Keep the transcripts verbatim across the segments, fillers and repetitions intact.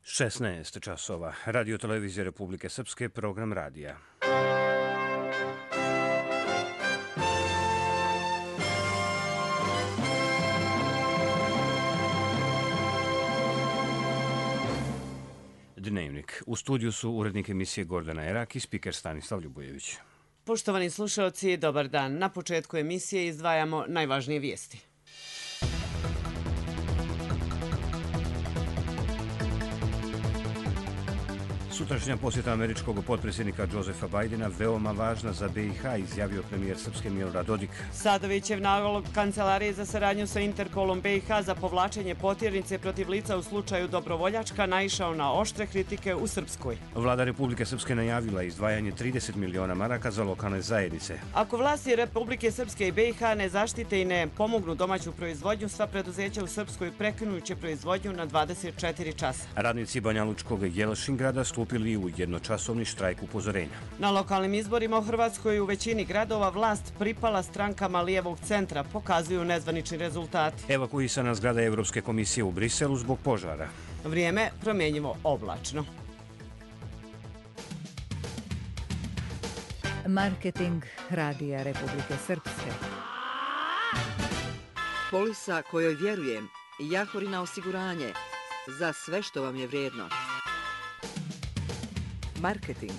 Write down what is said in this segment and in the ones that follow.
šesnaest časova. Radio televizije Republike Srpske, program radija. Dnevnik. U studiju su urednik emisije Gordana Erak i spiker Stanislav Ljubojević. Poštovani slušalci, dobar dan. Na početku emisije izdvajamo najvažnije vijesti. Sutrašnja posjeta američkog potpredsjednika Josefa Bajdena veoma važna za B i H, izjavio premijer Srpske Milorad Dodik. Sadovićev nalog Kancelarije za saradnju sa Interpolom B i H za povlačenje potjernice protiv lica u slučaju Dobrovoljačka naišao na oštre kritike u Srpskoj. Vlada Republike Srpske najavila izdvajanje trideset miliona maraka za lokalne zajednice. Ako vlasti Republike Srpske i B i H ne zaštite i ne pomognu domaću proizvodnju, sva preduzeća u Srpskoj prekinuće proizvodnju na dvadeset četiri časa. Radnici Banjalučkog Jelšingrada stupili u jednočasovni štrajk upozorenja. Na lokalnim izborima u Hrvatskoj u većini gradova vlast pripala strankama lijevog centra, pokazuju nezvanični rezultati. Evakuisana zgrada Evropske komisije u Briselu zbog požara. Vrijeme promjenjivo oblačno. Marketing Radija Republike Srpske. Polisa kojoj vjerujem, Jahorina osiguranje, za sve što vam je vrijedno. Marketing.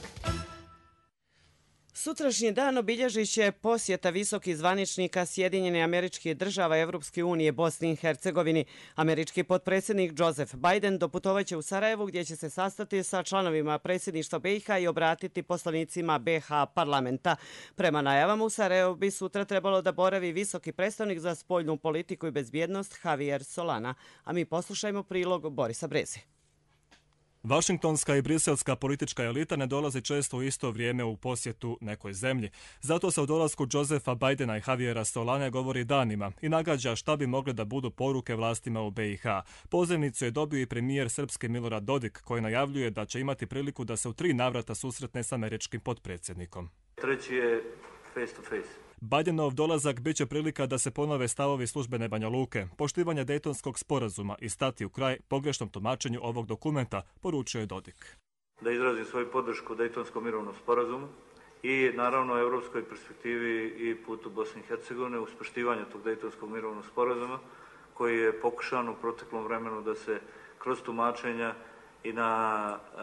Sutrašnji dan obilježit će posjeta visokih zvaničnika Sjedinjenih Američkih Država Evropske unije Bosni i Hercegovini. Američki potpredsjednik Joseph Biden doputovaće u Sarajevo gdje će se sastati sa članovima predsjedništva B i H i obratiti poslanicima B i H parlamenta. Prema najavama u Sarajevo bi sutra trebalo da boravi visoki predstavnik za spoljnu politiku i bezbjednost Javier Solana. A mi poslušajmo prilog Borisa Breze. Vašingtonska i briselska politička elita ne dolazi često u isto vrijeme u posjetu nekoj zemlji. Zato se o dolasku Josefa Bajdena i Javiera Solane govori danima i nagađa šta bi mogle da budu poruke vlastima u B i H. Pozivnicu je dobio i premijer Srpske Milorad Dodik, koji najavljuje da će imati priliku da se u tri navrata susretne s američkim potpredsjednikom. Treći je face to face. Bajdenov dolazak bit će prilika da se ponove stavovi službene Banja Luke, poštivanje Dejtonskog sporazuma i stati u kraj pogrešnom tumačenju ovog dokumenta, poručio je Dodik. Da izrazim svoju podršku Dejtonskom mirovnom sporazumu i naravno evropskoj perspektivi i putu Bosne i Hercegovine uz poštivanje tog Dejtonskog mirovnog sporazuma koji je pokušan u proteklom vremenu da se kroz tumačenja i na uh,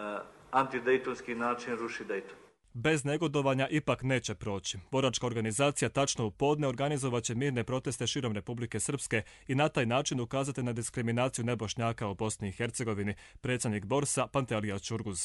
antidejtonski način ruši Dejton. Bez negodovanja ipak neće proći. Boračka organizacija tačno u podne organizovat će mirne proteste širom Republike Srpske i na taj način ukazati na diskriminaciju nebošnjaka u Bosni i Hercegovini, predsjednik Borsa Pantelija Čurguz.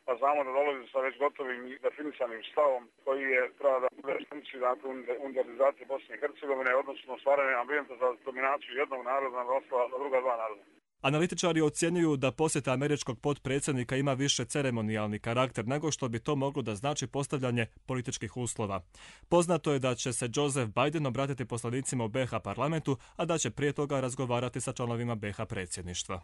Pa znamo da dolazi sa već gotovim i definisanim stavom koji je treba da bude funkciju dakle unitarizacije Bosne i Hercegovine, odnosno stvaranje ambijenta za dominaciju jednog naroda na ostala na druga dva naroda. Analitičari ocjenjuju da posjeta američkog potpredsjednika ima više ceremonijalni karakter nego što bi to moglo da znači postavljanje političkih uslova. Poznato je da će se Joseph Biden obratiti poslanicima u B i H parlamentu, a da će prije toga razgovarati sa članovima B i H predsjedništva.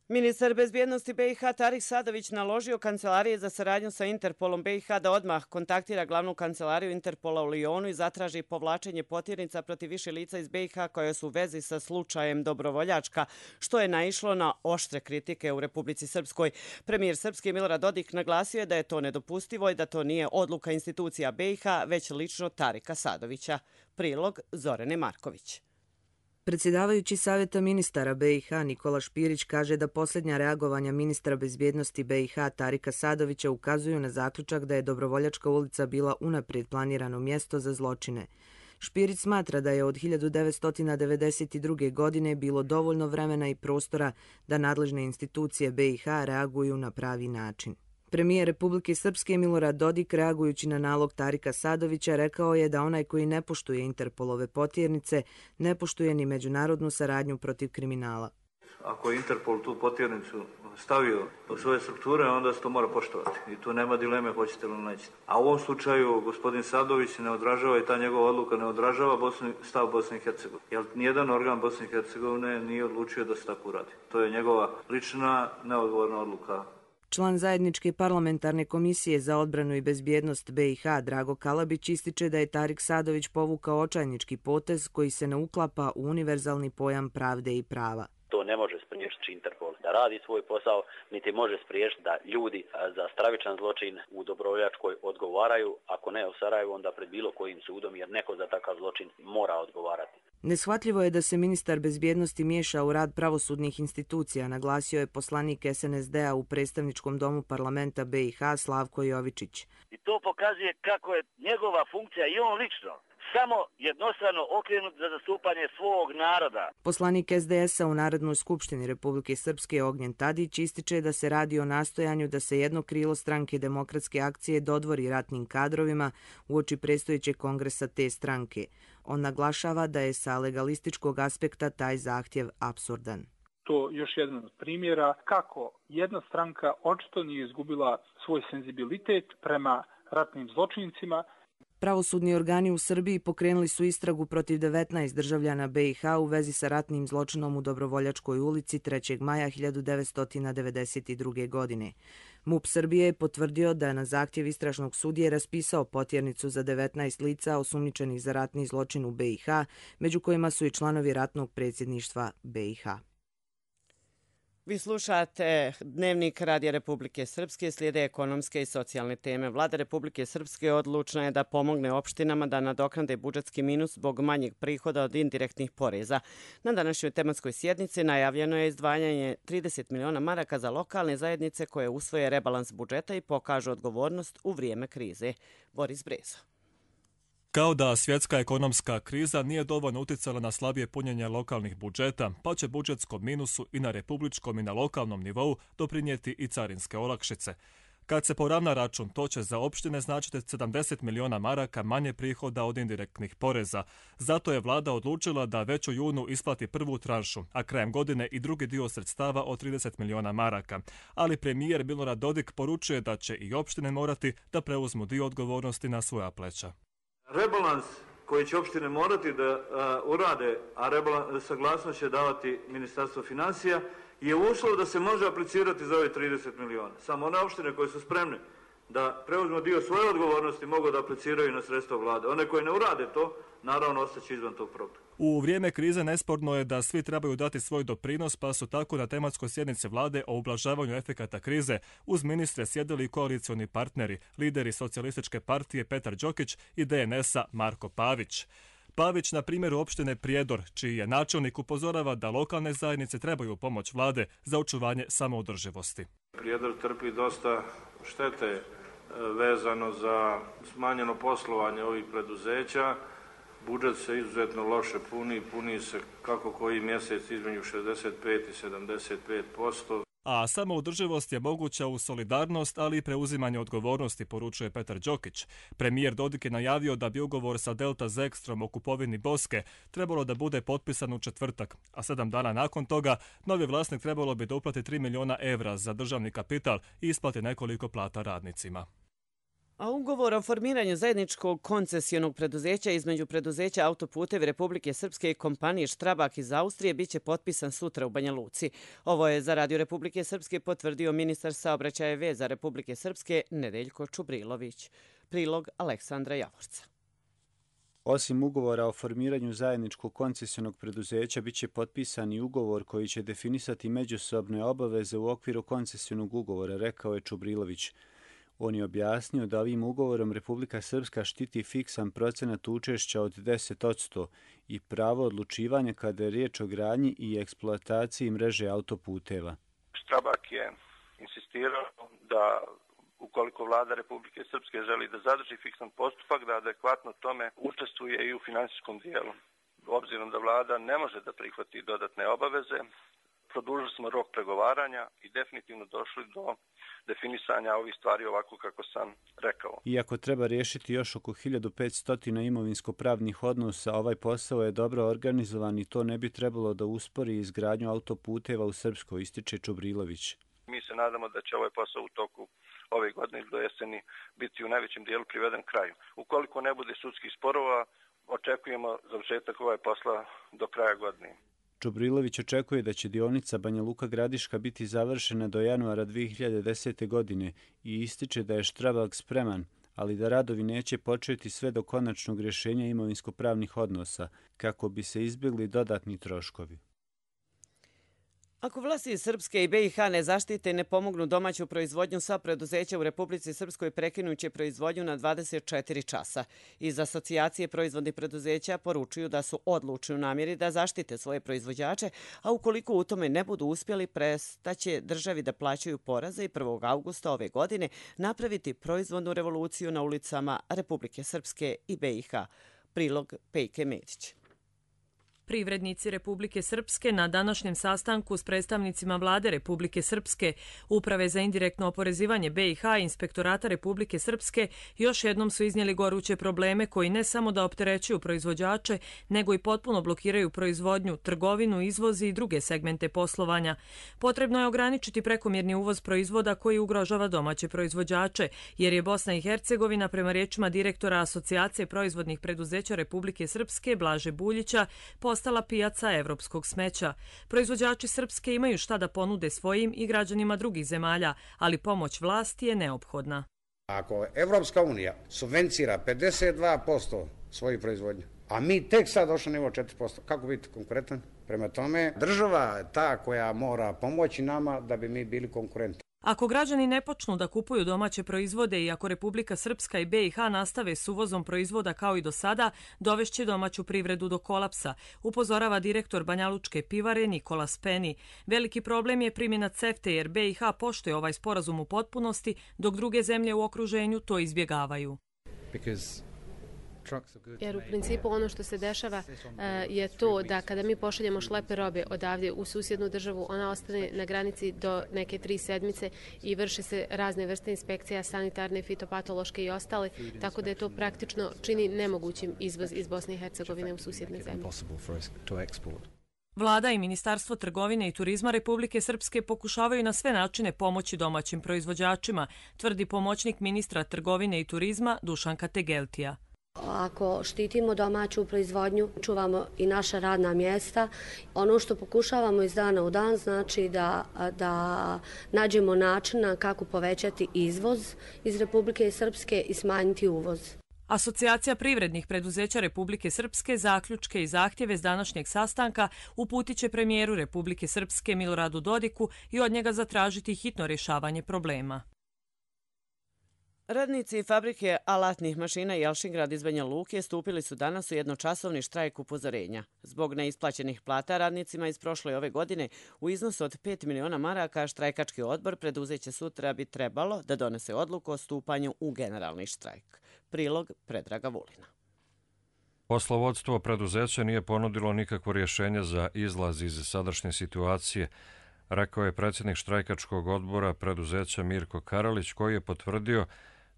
Ministar bezbjednosti B i H Tarik Sadović naložio Kancelarije za saradnju sa Interpolom B i H da odmah kontaktira glavnu kancelariju Interpola u Lijonu i zatraži povlačenje potjernica protiv više lica iz B i H koje su u vezi sa slučajem Dobrovoljačka, što je naišlo na oštre kritike u Republici Srpskoj. Premijer Srpske Milorad Dodik naglasio je da je to nedopustivo i da to nije odluka institucija B i H, već lično Tarika Sadovića. Prilog Zorane Marković. Predsjedavajući Savjeta ministara B i H Nikola Špirić kaže da posljednja reagovanja ministra bezbjednosti B i H Tarika Sadovića ukazuju na zaključak da je Dobrovoljačka ulica bila unaprijed planirano mjesto za zločine. Špirić smatra da je od hiljadu devetsto devedeset druge. godine bilo dovoljno vremena i prostora da nadležne institucije B i H reaguju na pravi način. Premijer Republike Srpske Milorad Dodik, reagujući na nalog Tarika Sadovića, rekao je da onaj koji ne poštuje Interpolove potjernice ne poštuje ni međunarodnu saradnju protiv kriminala. Ako je Interpol tu potjernicu stavio u svoje strukture, onda se to mora poštovati. I tu nema dileme hoćete ili nećete. A u ovom slučaju gospodin Sadović ne odražava i ta njegova odluka ne odražava Bosni, stav Bosne i Hercegovine. Jer nijedan organ Bosne i Hercegovine nije odlučio da se tako uradi. To je njegova lična neodgovorna odluka. Član zajedničke parlamentarne komisije za odbranu i bezbjednost B i H Drago Kalabić ističe da je Tarik Sadović povukao očajnički potez koji se ne uklapa u univerzalni pojam pravde i prava. To ne može spriječiti Interpol. da radi svoj posao, niti može spriječiti da ljudi za stravičan zločin u Dobrovoljačkoj odgovaraju, ako ne u Sarajevu, onda pred bilo kojim sudom, jer neko za takav zločin mora odgovarati. Neshvatljivo je da se ministar bezbjednosti miješa u rad pravosudnih institucija, naglasio je poslanik S N S D-a u predstavničkom domu parlamenta B i H Slavko Jovičić. I to pokazuje kako je njegova funkcija i on lično samo jednostrano okrenut za zastupanje svog naroda. Poslanik S D S-a u Narodnoj skupštini Republike Srpske Ognjen Tadić ističe da se radi o nastojanju da se jedno krilo stranke Demokratske akcije dodvori ratnim kadrovima uoči predstojećeg kongresa te stranke. On naglašava da je sa legalističkog aspekta taj zahtjev apsurdan. To još jedan od primjera kako jedna stranka očito nije izgubila svoj senzibilitet prema ratnim zločincima. Pravosudni organi u Srbiji pokrenuli su istragu protiv devetnaest državljana B i H u vezi sa ratnim zločinom u Dobrovoljačkoj ulici trećeg maja hiljadu devetsto devedeset druge. godine. MUP Srbije je potvrdio da je na zahtjev istražnog sudije raspisao potjernicu za devetnaest lica osumnjičenih za ratni zločin u B i H, među kojima su i članovi ratnog predsjedništva B i H. Vi slušate Dnevnik Radija Republike Srpske, slijede ekonomske i socijalne teme. Vlada Republike Srpske odlučna je da pomogne opštinama da nadoknade budžetski minus zbog manjeg prihoda od indirektnih poreza. Na današnjoj tematskoj sjednici najavljeno je izdvajanje trideset miliona maraka za lokalne zajednice koje usvoje rebalans budžeta i pokažu odgovornost u vrijeme krize. Boris Brezo. Kao da svjetska ekonomska kriza nije dovoljno uticala na slabije punjenje lokalnih budžeta, pa će budžetskom minusu i na republičkom i na lokalnom nivou doprinijeti i carinske olakšice. Kad se poravna račun, to će za opštine značiti sedamdeset miliona maraka manje prihoda od indirektnih poreza. Zato je vlada odlučila da već u junu isplati prvu tranšu, a krajem godine i drugi dio sredstava od trideset miliona maraka. Ali premijer Milorad Dodik poručuje da će i opštine morati da preuzmu dio odgovornosti na svoja pleća. Rebalans koji će opštine morati da a, urade, a rebalans, saglasnost će davati Ministarstvo financija, je uslov da se može aplicirati za ove trideset miliona. Samo one opštine koje su spremne da preuzmu dio svoje odgovornosti mogu da apliciraju na sredstva vlade. One koje ne urade to, naravno, ostaće izvan tog programa. U vrijeme krize nesporno je da svi trebaju dati svoj doprinos, pa su tako na tematskoj sjednici vlade o ublažavanju efekata krize uz ministre sjedili koalicioni partneri, lideri Socijalističke partije Petar Đokić i D N S-a Marko Pavić. Pavić na primjeru opštine Prijedor, čiji je načelnik, upozorava da lokalne zajednice trebaju pomoć vlade za očuvanje samoodrživosti. Prijedor trpi dosta štete vezano za smanjeno poslovanje ovih preduzeća. Budžet se izuzetno loše puni, puni se kako koji mjesec između šezdeset pet i sedamdeset pet posto. A samoodrživost je moguća u solidarnost, ali i preuzimanje odgovornosti, poručuje Petar Đokić. Premijer Dodik je najavio da bi ugovor sa Delta Zekstrom o kupovini Boske trebalo da bude potpisan u četvrtak, a sedam dana nakon toga novi vlasnik trebalo bi da uplati tri miliona evra za državni kapital i isplati nekoliko plata radnicima. A ugovor o formiranju zajedničkog koncesionog preduzeća između preduzeća Autoputevi Republike Srpske i kompanije Štrabak iz Austrije biće potpisan sutra u Banja Luci. Ovo je za Radio Republike Srpske potvrdio ministar saobraćaja i veza Republike Srpske Nedeljko Čubrilović. Prilog Aleksandra Javorca. Osim ugovora o formiranju zajedničkog koncesionog preduzeća, biće potpisan i ugovor koji će definisati međusobne obaveze u okviru koncesionog ugovora, rekao je Čubrilović. On je objasnio da ovim ugovorom Republika Srpska štiti fiksan procenat učešća od deset posto i pravo odlučivanja kada je riječ o gradnji i eksploataciji mreže autoputeva. Štrabak je insistirao da ukoliko vlada Republike Srpske želi da zadrži fiksan postupak, da adekvatno tome učestvuje i u finansijskom dijelu. Obzirom da vlada ne može da prihvati dodatne obaveze, produžili smo rok pregovaranja i definitivno došli do definisanja ovih stvari ovako kako sam rekao. Iako treba riješiti još oko hiljadu petsto imovinsko-pravnih odnosa, ovaj posao je dobro organizovan i to ne bi trebalo da uspori izgradnju autoputeva u Srpskoj, ističe Čubrilović. Mi se nadamo da će ovaj posao u toku ove godine do jeseni biti u najvećem dijelu priveden kraju. Ukoliko ne bude sudskih sporova, očekujemo završetak ovaj posla do kraja godine. Čubrilović očekuje da će dionica Banja Luka Gradiška biti završena do januara dvije hiljade desete. godine i ističe da je Štrabak spreman, ali da radovi neće početi sve do konačnog rješenja imovinsko-pravnih odnosa, kako bi se izbjegli dodatni troškovi. Ako vlasti Srpske i B i H ne zaštite i ne pomognu domaću proizvodnju, sva preduzeća u Republici Srpskoj prekinuće proizvodnju na dvadeset četiri časa. Iz asocijacije proizvodnih preduzeća poručuju da su odlučni u namjeri da zaštite svoje proizvođače, a ukoliko u tome ne budu uspjeli, prestaće državi da plaćaju poraze i prvog avgusta ove godine napraviti proizvodnu revoluciju na ulicama Republike Srpske i B i H. Prilog Pejke Medić. Privrednici Republike Srpske na današnjem sastanku s predstavnicima Vlade Republike Srpske, Uprave za indirektno oporezivanje B i H i Inspektorata Republike Srpske još jednom su iznijeli goruće probleme koji ne samo da opterećuju proizvođače, nego i potpuno blokiraju proizvodnju, trgovinu, izvoz i druge segmente poslovanja. Potrebno je ograničiti prekomjerni uvoz proizvoda koji ugrožava domaće proizvođače, jer je Bosna i Hercegovina, prema riječima direktora Asocijacije proizvodnih preduzeća Republike Srpske, Blaže Buljića, postala pijaca evropskog smeća. Proizvođači Srpske imaju šta da ponude svojim i građanima drugih zemalja, ali pomoć vlasti je neophodna. Ako Evropska unija subvencira pedeset dva posto svoju proizvodnju, a mi tek sad došli na nivo četiri posto, kako biti konkurentan? Prema tome, država je ta koja mora pomoći nama da bi mi bili konkurentni. Ako građani ne počnu da kupuju domaće proizvode i ako Republika Srpska i B i H nastave s uvozom proizvoda kao i do sada, dovešće domaću privredu do kolapsa, upozorava direktor Banjalučke pivare Nikola Speni. Veliki problem je primjena CEFTA jer B i H poštuje ovaj sporazum u potpunosti, dok druge zemlje u okruženju to izbjegavaju. Jer u principu ono što se dešava je to da kada mi pošaljemo šleper robe odavdje u susjednu državu, ona ostane na granici do neke tri sedmice i vrše se razne vrste inspekcija, sanitarne, fitopatološke i ostale, tako da je to praktično čini nemogućim izvoz iz Bosne i Hercegovine u susjedne zemlje. Vlada i Ministarstvo trgovine i turizma Republike Srpske pokušavaju na sve načine pomoći domaćim proizvođačima, tvrdi pomoćnik ministra trgovine i turizma Dušan Kategeltija. Ako štitimo domaću proizvodnju, čuvamo i naša radna mjesta. Ono što pokušavamo iz dana u dan znači da, da nađemo načina kako povećati izvoz iz Republike Srpske i smanjiti uvoz. Asocijacija privrednih preduzeća Republike Srpske zaključke i zahtjeve s današnjeg sastanka uputit će premijeru Republike Srpske Miloradu Dodiku i od njega zatražiti hitno rješavanje problema. Radnici fabrike alatnih mašina Jelšingrad iz Banja Luke stupili su danas u jednočasovni štrajk upozorenja. Zbog neisplaćenih plata radnicima iz prošle ove godine u iznosu od pet miliona maraka štrajkački odbor preduzeće sutra bi trebalo da donese odluku o stupanju u generalni štrajk. Prilog Predraga Vulina. Poslovodstvo preduzeća nije ponudilo nikakvo rješenje za izlaz iz sadašnje situacije, rekao je predsjednik štrajkačkog odbora preduzeća Mirko Karalić, koji je potvrdio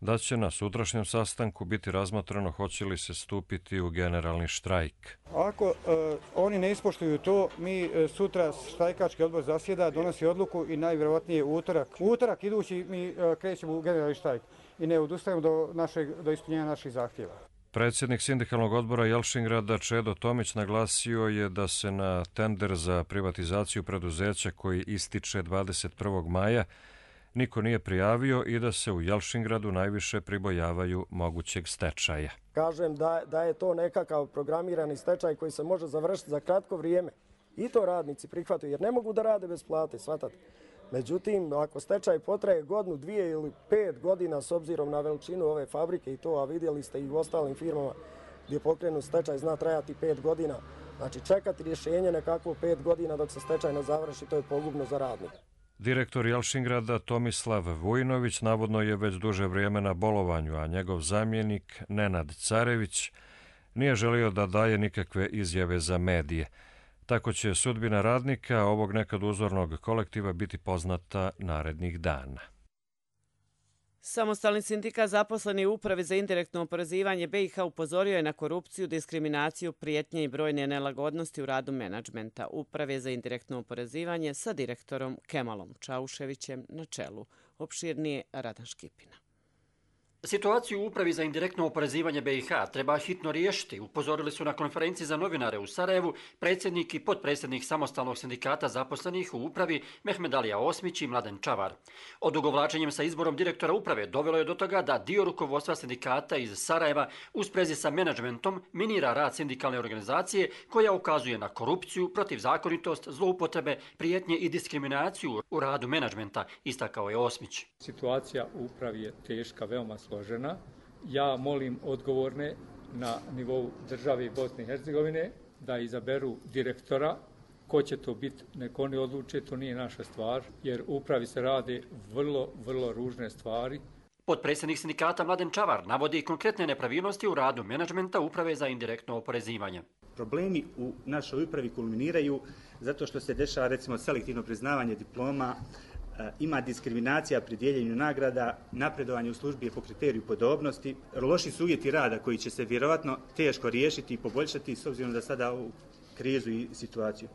da će na sutrašnjem sastanku biti razmatrano hoće li se stupiti u generalni štrajk. Ako e, oni ne ispoštuju to, mi e, sutra štrajkački odbor zasjeda, donosi odluku i najvjerojatnije utorak. Utorak idući mi e, krećemo u generalni štrajk i ne odustajemo do, našeg, do ispunjenja naših zahtjeva. Predsjednik sindikalnog odbora Jelšingrada Čedo Tomić naglasio je da se na tender za privatizaciju preduzeća koji ističe dvadeset prvog maja niko nije prijavio i da se u Jelšingradu najviše pribojavaju mogućeg stečaja. Kažem da, da je to nekakav programirani stečaj koji se može završiti za kratko vrijeme. I to radnici prihvataju jer ne mogu da rade bez plate, shvatate. Međutim, ako stečaj potraje godinu, dvije ili pet godina s obzirom na veličinu ove fabrike i to, a vidjeli ste i u ostalim firmama gdje pokrenu stečaj zna trajati pet godina. Znači čekati rješenje nekakvo pet godina dok se stečaj ne završi, to je pogubno za radnika. Direktor Jelšingrada Tomislav Vujnović navodno je već duže vrijeme na bolovanju, a njegov zamjenik Nenad Carević nije želio da daje nikakve izjave za medije. Tako će sudbina radnika ovog nekad uzornog kolektiva biti poznata narednih dana. Samostalni sindikat zaposleni u Upravi za indirektno oporezivanje B i H upozorio je na korupciju, diskriminaciju, prijetnje i brojne nelagodnosti u radu menadžmenta Uprave za indirektno oporezivanje sa direktorom Kemalom Čauševićem na čelu. Opširnije Radan Škipina. Situaciju u Upravi za indirektno oporezivanje B i H treba hitno riješiti, upozorili su na konferenciji za novinare u Sarajevu predsjednik i potpredsjednik samostalnog sindikata zaposlenih u Upravi Mehmedalija Osmić i Mladen Čavar. Odugovlačenjem sa izborom direktora Uprave dovelo je do toga da dio rukovodstva sindikata iz Sarajeva u sprezi sa menadžmentom minira rad sindikalne organizacije koja ukazuje na korupciju, protivzakonitost, zloupotrebe, prijetnje i diskriminaciju u radu menadžmenta, istakao je Osmić. Situacija u Upravi je teška, veoma složena. Ja molim odgovorne na nivou države Bosne i Hercegovine da izaberu direktora. Ko će to biti, nek oni odluče, to nije naša stvar, jer u Upravi se rade vrlo, vrlo ružne stvari. Potpredsjednik sindikata Mladen Čavar navodi konkretne nepravilnosti u radu menadžmenta Uprave za indirektno oporezivanje. Problemi u našoj upravi kulminiraju zato što se dešava recimo selektivno priznavanje diploma, ima diskriminacija pri dijeljenju nagrada, napredovanje u službi je po kriteriju podobnosti, loši su uvjeti rada koji će se vjerovatno teško riješiti i poboljšati s obzirom da sada u krizu i situaciju.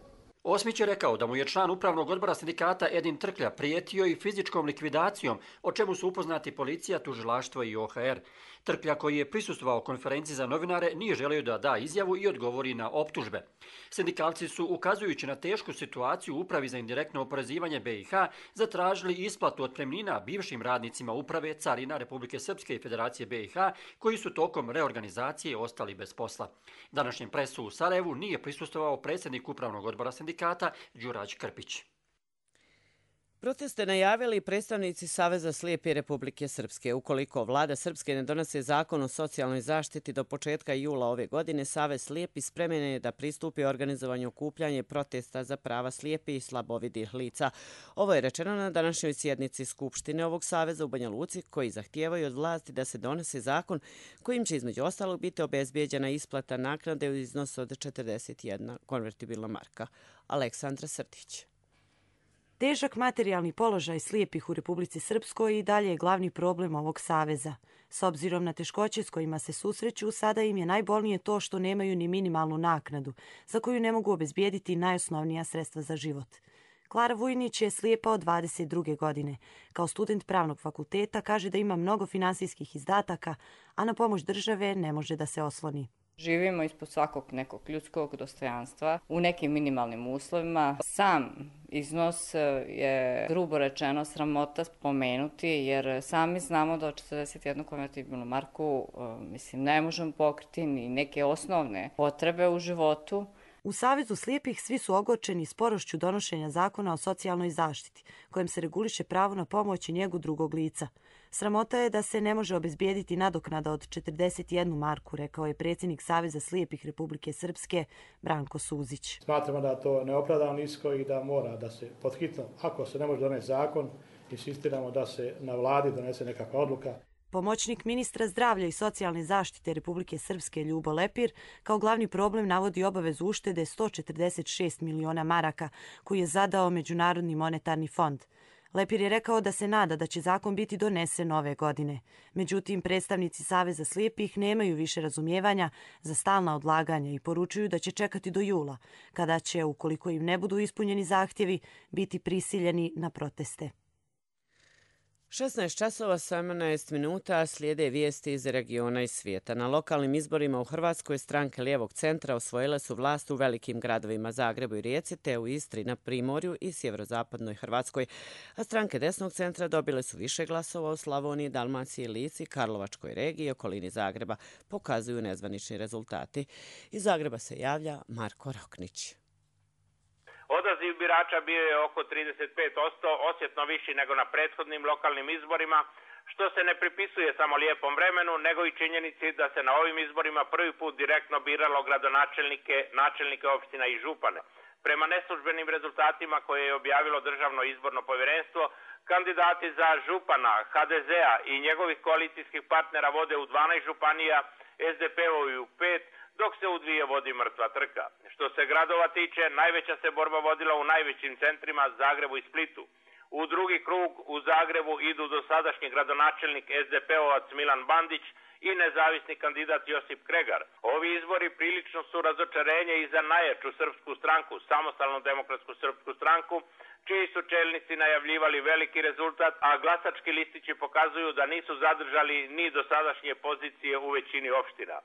Osmić je rekao da mu je član upravnog odbora sindikata Edin Trklja prijetio i fizičkom likvidacijom, o čemu su upoznati policija, tužilaštvo i O H R. Trklja, koji je prisustvovao konferenciji za novinare, nije želio da da izjavu i odgovori na optužbe. Sindikalci su, ukazujući na tešku situaciju u Upravi za indirektno oporezivanje B i H, zatražili isplatu otpremnina bivšim radnicima Uprave, Carina Republike Srpske i Federacije B i H, koji su tokom reorganizacije ostali bez posla. Današnjem presu u Sarajevu nije prisustvovao predsjednik upravnog odbora sindikata Đurađ Krpić. Proteste najavili predstavnici Saveza slijepi Republike Srpske. Ukoliko vlada Srpske ne donese zakon o socijalnoj zaštiti do početka jula ove godine, Savez slijepi spremen je da pristupi organizovanju okupljanja protesta za prava slijepi i slabovidih lica. Ovo je rečeno na današnjoj sjednici Skupštine ovog saveza u Banja Luci, koji zahtijevaju od vlasti da se donese zakon kojim će između ostalog biti obezbijeđena isplata naknade u iznosu od četrdeset jedna konvertibilna marka. Aleksandra Srdić. Težak materijalni položaj slijepih u Republici Srpskoj i dalje je glavni problem ovog saveza. S obzirom na teškoće s kojima se susreću, sada im je najbolnije to što nemaju ni minimalnu naknadu, za koju ne mogu obezbijediti najosnovnija sredstva za život. Klara Vujnić je slijepa od dvadeset druge godine. Kao student pravnog fakulteta kaže da ima mnogo finansijskih izdataka, a na pomoć države ne može da se osloni. Živimo ispod svakog nekog ljudskog dostojanstva u nekim minimalnim uslovima. Sam iznos je, grubo rečeno, sramota spomenuti, jer sami znamo da od četrdeset jednu konvertibilnu marku mislim, ne možemo pokriti ni neke osnovne potrebe u životu. U Savezu slijepih svi su ogorčeni sporošću donošenja zakona o socijalnoj zaštiti, kojem se reguliše pravo na pomoć i njegu drugog lica. Sramota je da se ne može obezbijediti nadoknada od četrdeset jednu marku, rekao je predsjednik Saveza slijepih Republike Srpske Branko Suzić. Smatramo da je to neopravdano nisko i da mora da se podhitno, ako se ne može doneti zakon, insistiramo da se na vladi donese nekakva odluka. Pomoćnik ministra zdravlja i socijalne zaštite Republike Srpske Ljubo Lepir kao glavni problem navodi obavezu uštede sto četrdeset šest miliona maraka koju je zadao Međunarodni monetarni fond. Lepir je rekao da se nada da će zakon biti donesen ove godine. Međutim, predstavnici Saveza slijepih nemaju više razumijevanja za stalna odlaganja i poručuju da će čekati do jula, kada će, ukoliko im ne budu ispunjeni zahtjevi, biti prisiljeni na proteste. šesnaest časova sedamnaest minuta slijede vijesti iz regiona i svijeta. Na lokalnim izborima u Hrvatskoj stranke lijevog centra osvojile su vlast u velikim gradovima Zagrebu i Rijeci, te u Istri, na Primorju i sjeverozapadnoj Hrvatskoj. A stranke desnog centra dobile su više glasova u Slavoniji, Dalmaciji, Lici, Karlovačkoj regiji i okolini Zagreba, pokazuju nezvanični rezultati. Iz Zagreba se javlja Marko Roknić. Odaziv birača bio je oko trideset pet posto, osjetno viši nego na prethodnim lokalnim izborima, što se ne pripisuje samo lijepom vremenu, nego i činjenici da se na ovim izborima prvi put direktno biralo gradonačelnike, načelnike opština i župane. Prema neslužbenim rezultatima koje je objavilo Državno izborno povjerenstvo, kandidati za župana H D Z-a i njegovih koalicijskih partnera vode u dvanaest županija, S D P-ovi u pet, dok se u dvije vodi mrtva trka. Što se gradova tiče, najveća se borba vodila u najvećim centrima Zagrebu i Splitu. U drugi krug u Zagrebu idu dosadašnji gradonačelnik S D P-ovac Milan Bandić i nezavisni kandidat Josip Kregar. Ovi izbori prilično su razočarenje i za najjaču srpsku stranku, Samostalnu demokratsku srpsku stranku, čiji su čelnici najavljivali veliki rezultat, a glasački listići pokazuju da nisu zadržali ni dosadašnje pozicije u većini opština.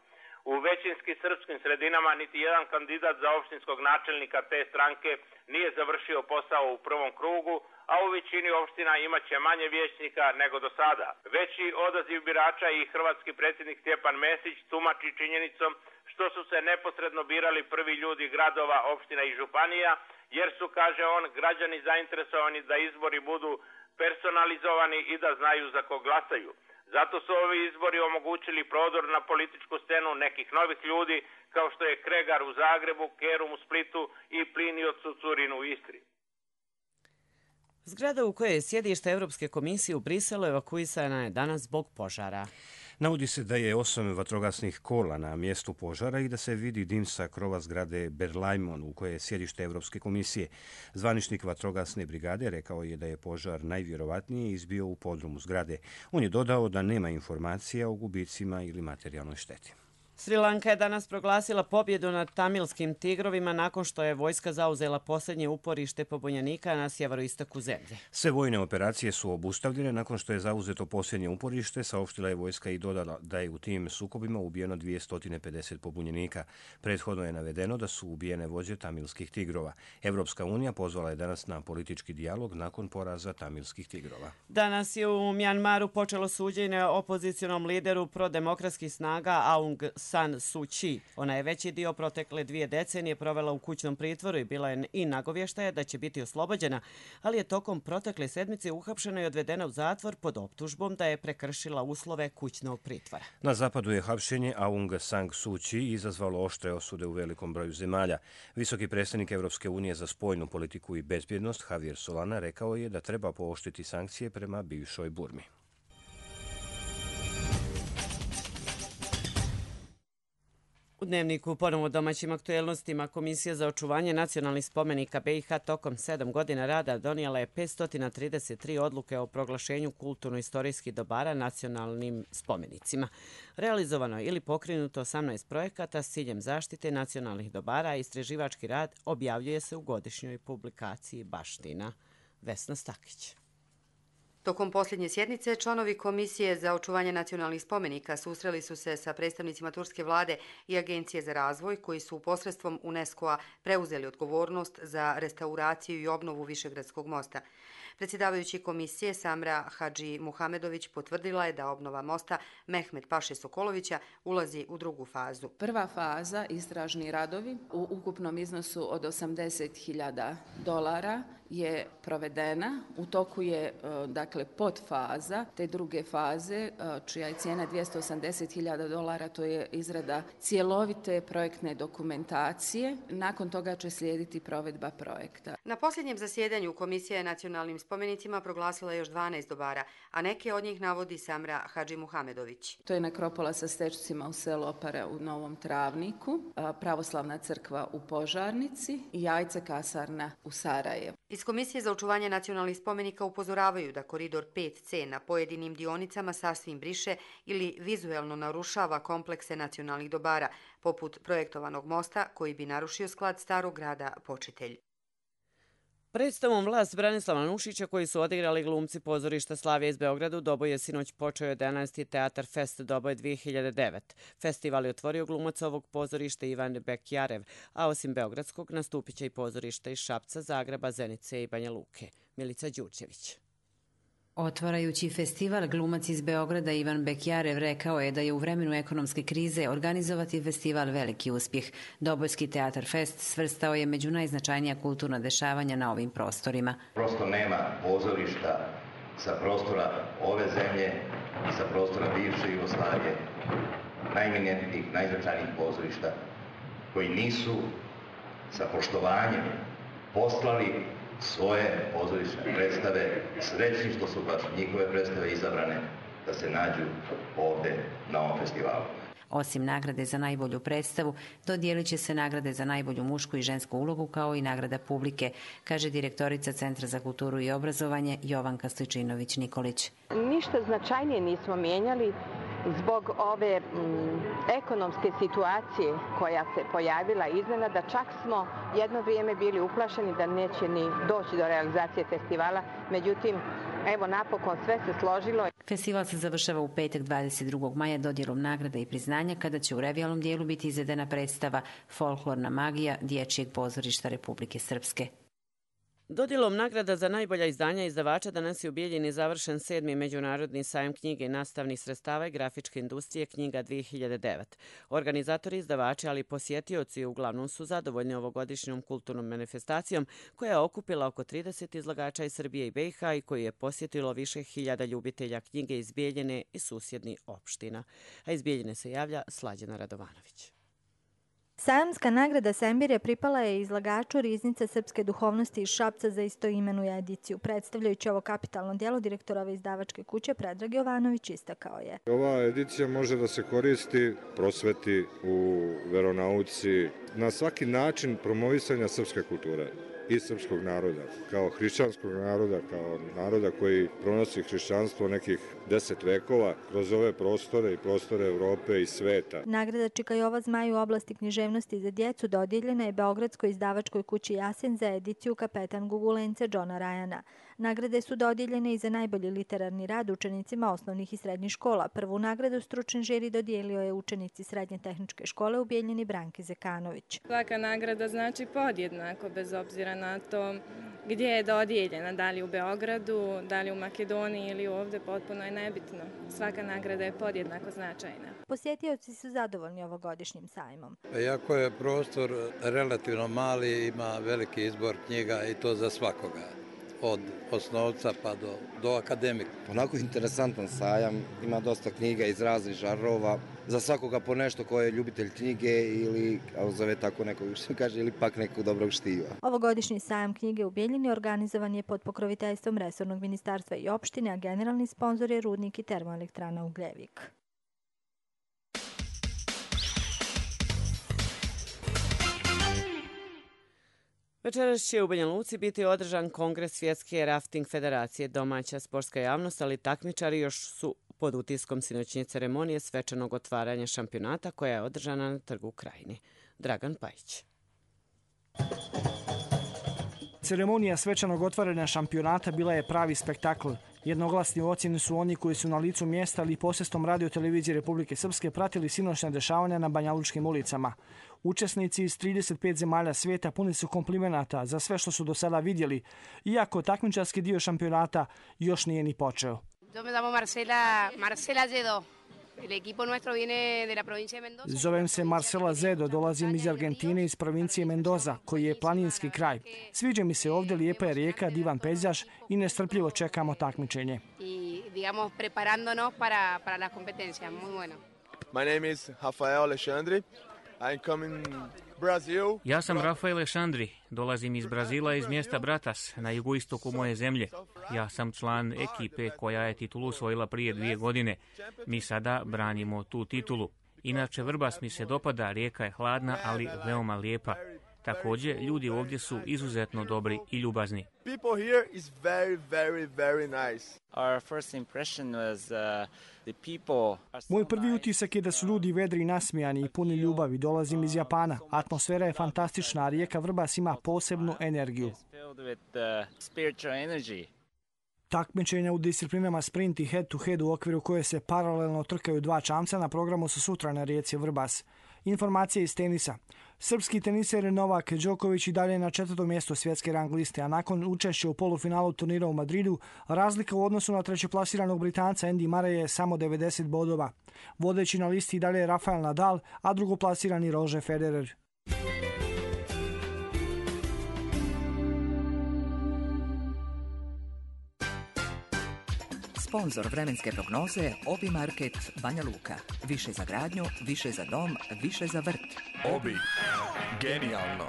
U većinski srpskim sredinama niti jedan kandidat za opštinskog načelnika te stranke nije završio posao u prvom krugu, a u većini opština imaće manje vijećnika nego do sada. Veći odaziv birača i hrvatski predsjednik Stjepan Mesić tumači činjenicom što su se neposredno birali prvi ljudi gradova, opština i županija, jer su, kaže on, građani zainteresovani da izbori budu personalizovani i da znaju za kog glasaju. Zato su ovi izbori omogućili prodor na političku scenu nekih novih ljudi, kao što je Kregar u Zagrebu, Kerum u Splitu i Plinio Cucurin u Istri. Zgrada u kojoj je sjedište Evropske komisije u Briselu evakuisana je danas zbog požara. Navodi se da je osam vatrogasnih kola na mjestu požara i da se vidi dim sa krova zgrade Berlaymon u kojoj je sjedište Evropske komisije. Zvaničnik vatrogasne brigade rekao je da je požar najvjerovatnije izbio u podrumu zgrade. On je dodao da nema informacija o gubicima ili materijalnoj šteti. Sri Lanka je danas proglasila pobjedu nad tamilskim tigrovima nakon što je vojska zauzela posljednje uporište pobunjenika na sjeveroistoku zemlje. Sve vojne operacije su obustavljene nakon što je zauzeto posljednje uporište, saopštila je vojska i dodala da je u tim sukobima ubijeno dvjesto pedeset pobunjenika. Prethodno je navedeno da su ubijene vođe tamilskih tigrova. Evropska unija pozvala je danas na politički dijalog nakon poraza tamilskih tigrova. Danas je u Mjanmaru počelo suđenje opozicionom lideru prodemokratskih snaga Aung San Suu Kyi. Ona je veći dio protekle dvije decenije provela u kućnom pritvoru i bila je i nagovještaja da će biti oslobođena, ali je tokom protekle sedmice uhapšena i odvedena u zatvor pod optužbom da je prekršila uslove kućnog pritvora. Na zapadu je hapšenje Aung San Suu Kyi izazvalo oštre osude u velikom broju zemalja. Visoki predstavnik Evropske unije za spoljnu politiku i bezbjednost Javier Solana rekao je da treba pooštriti sankcije prema bivšoj Burmi. U Dnevniku ponovo domaćim aktuelnostima Komisija za očuvanje nacionalnih spomenika B i H tokom sedam godina rada donijela je petsto trideset tri odluke o proglašenju kulturno-istorijskih dobara nacionalnim spomenicima. Realizovano ili pokrenuto osamnaest projekata s ciljem zaštite nacionalnih dobara, a istraživački rad objavljuje se u godišnjoj publikaciji Baština. Vesna Stakić. Tokom posljednje sjednice, članovi Komisije za očuvanje nacionalnih spomenika susreli su se sa predstavnicima turske vlade i Agencije za razvoj, koji su posredstvom UNESCO-a preuzeli odgovornost za restauraciju i obnovu Višegradskog mosta. Predsjedavajući komisije Samra Hadži Muhamedović potvrdila je da obnova mosta Mehmet Paše Sokolovića ulazi u drugu fazu. Prva faza, istražni radovi, u ukupnom iznosu od osamdeset hiljada dolara je provedena. U toku je dakle podfaza te druge faze, čija je cijena dvjesto osamdeset hiljada dolara, to je izrada cjelovite projektne dokumentacije. Nakon toga će slijediti provedba projekta. Na posljednjem zasjedanju Komisija je nacionalnim spomenicima proglasila još dvanaest dobara, a neke od njih navodi Samra Hadži Muhamedović. To je nekropola sa stečcima u selu Opare u Novom Travniku, pravoslavna crkva u Požarnici i Jajce kasarna u Sarajevu. Iz Komisije za očuvanje nacionalnih spomenika upozoravaju da koridor pet C na pojedinim dionicama sasvim briše ili vizuelno narušava komplekse nacionalnih dobara, poput projektovanog mosta koji bi narušio sklad starog grada Počitelj. Predstavom Vlast Branislava Nušića koji su odigrali glumci pozorišta Slavija iz Beograda u Doboju je sinoć počeo jedanaesti Teatar Fest Doboj dvije hiljade devet. Festival je otvorio glumac ovog pozorišta Ivan Bekjarev, a osim beogradskog nastupit će i pozorišta iz Šapca, Zagreba, Zenice i Banja Luke. Milica Đurđević. Otvarajući festival, glumac iz Beograda Ivan Bekjarev rekao je da je u vremenu ekonomske krize organizovati festival veliki uspjeh. Dobojski Teatar Fest svrstao je među najznačajnija kulturna dešavanja na ovim prostorima. Prosto nema pozorišta sa prostora ove zemlje i sa prostora bivše Jugoslavije, najeminentnijih, najznačajnijih pozorišta, koji nisu sa poštovanjem poslali svoje pozorišne predstave, srećni što su baš njihove predstave izabrane da se nađu ovde na ovom festivalu. Osim nagrade za najbolju predstavu, dodijelit će se nagrade za najbolju mušku i žensku ulogu kao i nagrada publike, kaže direktorica Centra za kulturu i obrazovanje Jovanka Stojčinović-Nikolić. Ništa značajnije nismo mijenjali. zbog ove m, ekonomske situacije koja se pojavila iznenada, čak smo jedno vrijeme bili uplašeni da neće ni doći do realizacije festivala, međutim, evo napokon sve se složilo. Festival se završava u petak dvadeset drugog maja dodjelom nagrada i priznanja, kada će u revijalnom dijelu biti izvedena predstava Folklorna magija Dječjeg pozorišta Republike Srpske. Dodjelom nagrada za najbolja izdanja izdavača danas je u Bijeljini završen sedmi međunarodni sajam knjige i nastavnih sredstava i grafičke industrije Knjiga dvije hiljade devet. Organizatori, izdavači, ali i posjetioci uglavnom su zadovoljni ovogodišnjom kulturnom manifestacijom koja je okupila oko trideset izlagača iz Srbije i B i H i koju je posjetilo više hiljada ljubitelja knjige iz Bijeljine i susjednih opština. A iz Bijeljine se javlja Slađana Radovanović. Sajamska nagrada Sembire pripala je izlagaču Riznice srpske duhovnosti iz Šapca za istoimenu ediciju. Predstavljajući ovo kapitalno djelo, direktor ove izdavačke kuće Predrag Jovanović istakao je. Ova edicija može da se koristi, prosveti u veronauci, na svaki način promovisanja srpske kulture i srpskog naroda, kao hrišćanskog naroda, kao naroda koji pronosi hrišćanstvo nekih deset vekova kroz ove prostore i prostore Evrope i sveta. Nagrada Čika Jova Zmaj u oblasti književnosti za djecu dodijeljena je Beogradskoj izdavačkoj kući Jasen za ediciju Kapetan Gugulence Johna Ryana. Nagrade su dodijeljene i za najbolji literarni rad učenicima osnovnih i srednjih škola. Prvu nagradu stručni žiri dodijelio je učenici Srednje tehničke škole u Bijeljini Branki Zekanović. Svaka nagrada znači podjednako, bez obzira na to gdje je dodijeljena, da li u Beogradu, da li u Makedoniji ili ovdje, potpuno je nebitno. Svaka nagrada je podjednako značajna. Posjetioci su zadovoljni ovogodišnjim sajmom. Iako je prostor relativno mali, ima veliki izbor knjiga i to za svakoga. Od osnovca pa do, do akademika. Onako interesantan sajam, ima dosta knjiga iz raznih žarova, za svakoga po nešto ko je ljubitelj knjige ili, kako zove tako nekog što kaže, ili pak nekog dobrog štiva. Ovogodišnji sajam knjige u Bijeljini organizovan je pod pokroviteljstvom resornog ministarstva i opštine, a generalni sponzor je Rudnik i termoelektrana Ugljevik. Večeras će u Banja Luci biti održan kongres Svjetske rafting federacije. Domaća sportska javnost, ali takmičari još su pod utiskom sinoćnje ceremonije svečanog otvaranja šampionata koja je održana na Trgu Krajini. Dragan Pajić. Ceremonija svečanog otvaranja šampionata bila je pravi spektakl. Jednoglasni u ocjeni su oni koji su na licu mjesta ali i posredstvom radio televizije Republike Srpske pratili sinoćna dešavanja na banjalučkim ulicama. Učesnici iz trideset pet zemalja svijeta puni su komplimenata za sve što su do sada vidjeli, iako takmičarski dio šampionata još nije ni počeo. Yo me llamo Marcela, Marcela Zedo. El equipo nuestro viene de la provincia de Mendoza. Zovem se Marcela Zedo, dolazim iz Argentine, iz provincije Mendoza, koji je planinski kraj. Sviđa mi se ovdje, lijepa je rijeka, divan pejzaž i nestrpljivo čekamo takmičenje. Y digamos preparándonos para para la competencia, muy bueno. My name is Rafael Alexandre. I'm coming Brazil. Ja sam Rafael Alexandri, dolazim iz Brazila, iz mjesta Bratas, na jugoistoku moje zemlje. Ja sam član ekipe koja je titulu osvojila prije dvije godine. Mi sada branimo tu titulu. Inače, Vrbas mi se dopada, rijeka je hladna, ali veoma lijepa. Također, ljudi ovdje su izuzetno dobri i ljubazni. People here is very, very, very nice. Our first impression was uh, the people. Moj prvi utisak je da su ljudi vedri i nasmijani i puni ljubavi. Dolazim iz Japana. Atmosfera je fantastična, a rijeka Vrbas ima posebnu energiju. Takmičenja u disciplinama sprint i head to head u okviru koje se paralelno trkaju dva čamca na programu su sutra na rijeci Vrbas. Informacije iz tenisa. Srpski teniser Novak Đoković i dalje na četvrtom mjestu svjetske rang liste, a nakon učešća u polufinalu turnira u Madridu, razlika u odnosu na trećeplasiranog Britanca Andy Murray je samo devedeset bodova. Vodeći na listi i dalje je Rafael Nadal, a drugoplasirani Roger Federer. Sponzor vremenske prognoze Obi Market Banja Luka. Više za gradnju, više za dom, više za vrt. Obi. Genijalno.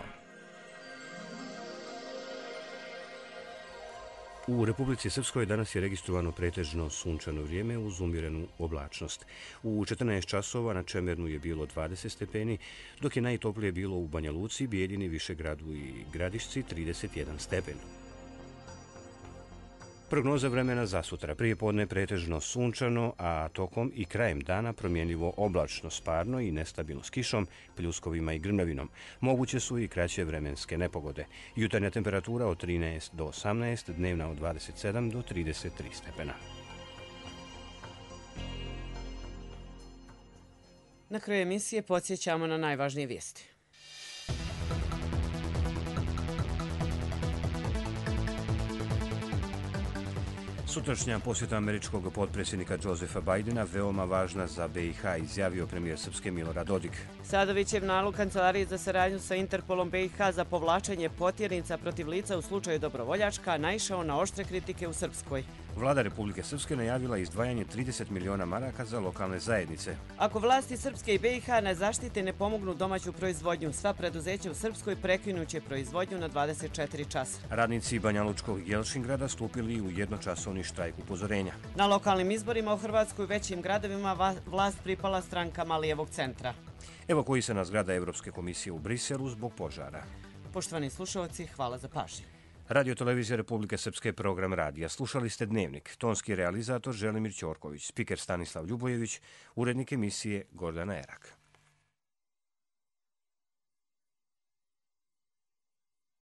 U Republici Srpskoj danas je registrovano pretežno sunčano vrijeme uz umjerenu oblačnost. U četrnaest časova na Čemernu je bilo dvadeset stepeni, dok je najtoplije bilo u Banja Luci, Bijeljini, Višegradu i Gradišci trideset jedan stepen. Prognoza vremena za sutra. Prije podne pretežno sunčano, a tokom i krajem dana promjenljivo oblačno, sparno i nestabilno s kišom, pljuskovima i grmljavinom. Moguće su i kraće vremenske nepogode. Jutarnja temperatura od trinaest do osamnaest, dnevna od dvadeset sedam do trideset tri stepena. Na kraju emisije podsjećamo na najvažnije vijesti. Sutrašnja posjeta američkog potpredsjednika Josefa Bajdena veoma važna za B i H, izjavio premijer Srpske Milorad Dodik. Sadovićev nalog Kancelarije za saradnju sa Interpolom B i H za povlačenje potjernica protiv lica u slučaju Dobrovoljačka naišao na oštre kritike u Srpskoj. Vlada Republike Srpske najavila izdvajanje trideset miliona maraka za lokalne zajednice. Ako vlasti Srpske i B i H ne zaštite ne pomognu domaću proizvodnju, sva preduzeća u Srpskoj prekinuće proizvodnju na dvadeset četiri časa. Radnici Banjalučkog i Jelšingrada stupili u jednočasovni štrajk upozorenja. Na lokalnim izborima u Hrvatskoj u većim gradovima vlast pripala strankama lijevog centra. Evakuisana zgrada Evropske komisije u Briselu zbog požara. Poštovani slušalci, hvala za pažnju. Radio Televizija Republike Srpske, program radija. Slušali ste Dnevnik. Tonski realizator Želimir Ćorković, spiker Stanislav Ljubojević, urednik emisije Gordana Erak.